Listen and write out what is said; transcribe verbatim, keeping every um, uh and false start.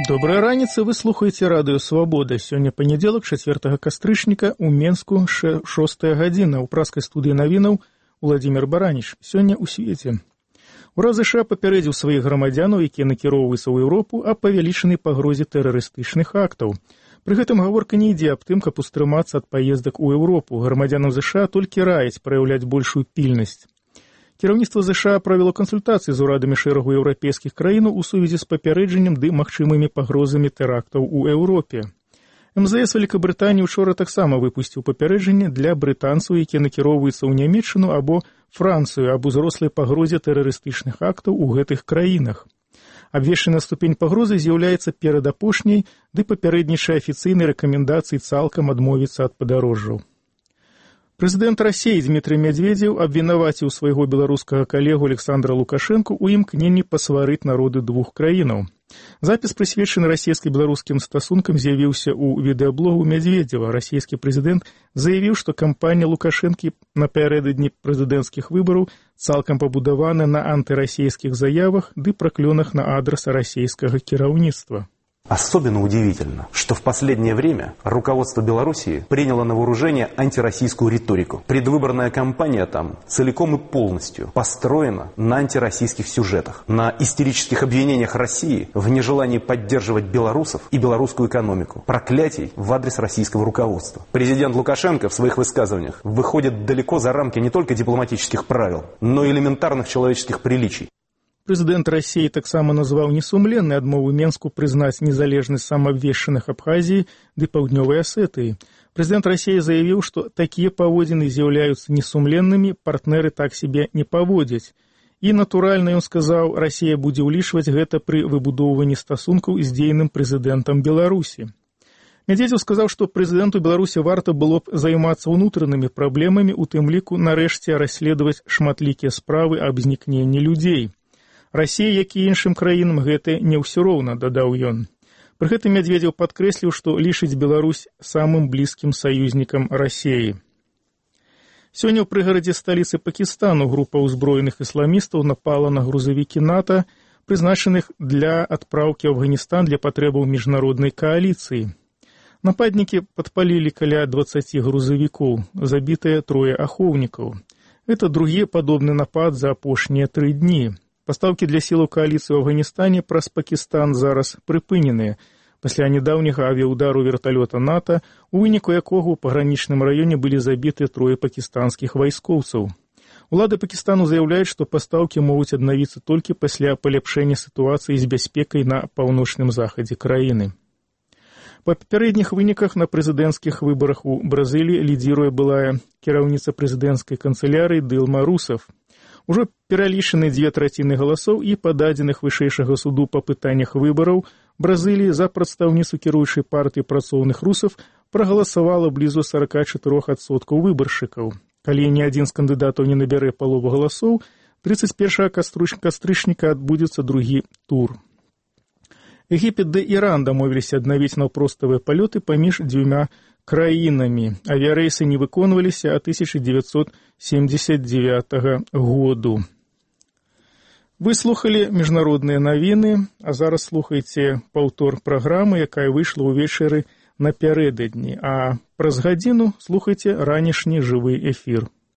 Добрая раніца, вы слухаеце радыё «Свабода». Сёння панядзелак, чацвёртага кастрычніка, у Менску шостая гадзіна. У праскай студыі навінаў Уладзімір Бараніч. Сёння ў свеце. Урад ЗША папярэдзіў сваіх грамадзянаў, якія накіроўваюцца ў Еўропу, аб павялічанай пагрозе тэрарыстычных актаў. Пры гэтым гаворка не ідзе аб тым, каб устрымацца ад паездак у Еўропу. Грамадзянам ЗША толькі раяць праяўляць большую пільнасць. Кіраўніцтва ЗША правяло кансультацыі з урадамі шэрагу еўрапейскіх краінаў у сувязі з папярэджаннем ды магчымымі пагрозамі тэрактаў у Еўропе. эм зэ эс Вялікабрытаніі учора таксама выпусціў папярэджанне для брытанцаў, якія накіроўваюцца ў Нямецчыну або Францыю аб узрослай пагрозе тэрарыстычных актаў у гэтых краінах. Абвешчаная ступень пагрозы з'яўляецца перадапошняй, ды папярэднічае афіцыйнай рэкамендацыі цалкам адмовіцца ад падарожжаў. Прэзідэнт Расіі Дмітрый Мядзведзеў абвінаваціў свайго беларускага калегу Александра Лукашэнку ў імкненні пасварыць народы двух краінаў. Запіс, прысвечаны расійска-беларускім стасункам, з'явіўся ў відэаблогу Мядзведзева. Расійскі прэзідэнт заявіў, што кампанія Лукашэнкі напярэдадні прэзідэнцкіх выбараў цалкам пабудавана на антырасійскіх заявах ды праклёнах на адрас расійскага кіраўніцтва. Особенно удивительно, что в последнее время руководство Белоруссии приняло на вооружение антироссийскую риторику. Предвыборная кампания там целиком и полностью построена на антироссийских сюжетах, на истерических обвинениях России в нежелании поддерживать белорусов и белорусскую экономику, проклятий в адрес российского руководства. Президент Лукашенко в своих высказываниях выходит далеко за рамки не только дипломатических правил, но и элементарных человеческих приличий. Прэзідэнт Расіі таксама назваў несумленнай адмову Менску прызнаць незалежнасць самаабвешчаных Абхазіі ды Паўднёвай Асетыі. Прэзідэнт Расіі заявіў, што такія паводзіны з'яўляюцца несумленнымі, партнеры так сябе не паводзяць. І, натуральна, ён сказаў, Расія будзе ўлічваць гэта пры выбудоўванні стасункаў з дзейным прэзідэнтам Беларусі. Мядзведзеў сказаў, што прэзідэнту Беларусі варта было б займацца ўнутранымі праблемамі, у тым ліку нарэшце расследаваць шматлікія справы аб знікненні людзей. Расія, як і іншым краінам, гэта не ўсё роўна, дадаў ён. Пры гэтым Мядзведзеў падкрэсліў, што лічыць Беларусь самым блізкім саюзнікам Расіі. Сёння ў прыгарадзе сталіцы Пакістану група ўзброеных ісламістаў напала на грузавікі НАТО, прызначаных для адпраўкі ў Афганістан для патрэбаў міжнароднай кааліцыі. Нападнікі падпалілі каля дваццаці грузавікоў, забітыя трое ахоўнікаў. Гэта другі падобны напад за апошнія тры дні. Пастаўкі для сілаў кааліцыі ў Афганістане праз Пакістан зараз прыпыненыя пасля нядаўняга авіяўдару верталёта НАТО, у выніку якога ў пагранічным раёне былі забіты трое пакістанскіх вайскоўцаў. Улады Пакістану заяўляюць, што пастаўкі могуць аднавіцца толькі пасля паляпшэння сітуацыі з бяспекай на паўночным захадзе краіны. Па папярэдніх выніках на прэзідэнцкіх выбарах у Бразыліі лідзіруе былая кіраўніца прэзідэнцкай канцылярыі Дылма Русеф. Ужо пералічаны дзве траціны галасоў і па дадзеных вышэйшага суду па пытаннях выбараў Бразыліі за прадстаўніцу кіруючай партыі працоўных русаў прагаласавала блізу сорок чатыры адсоткі выбаршчыкаў. Калі ні адзін з кандыдатаў не набярэ палову галасоў, трыццаць першага кастрычніка адбудзецца другі тур. Егіпет ды Іран дамовіліся аднавіць наўпроставыя палёты паміж дзвюма краінамі. Авіярэйсы не выконваліся ад тысяча дзевяцьсот семьдесят девятага году. Вы слухалі міжнародныя навіны, а зараз слухайце паўтор праграмы, якая выйшла ўвечары напярэдадні, а праз гадзіну слухайце ранішні жывы эфір.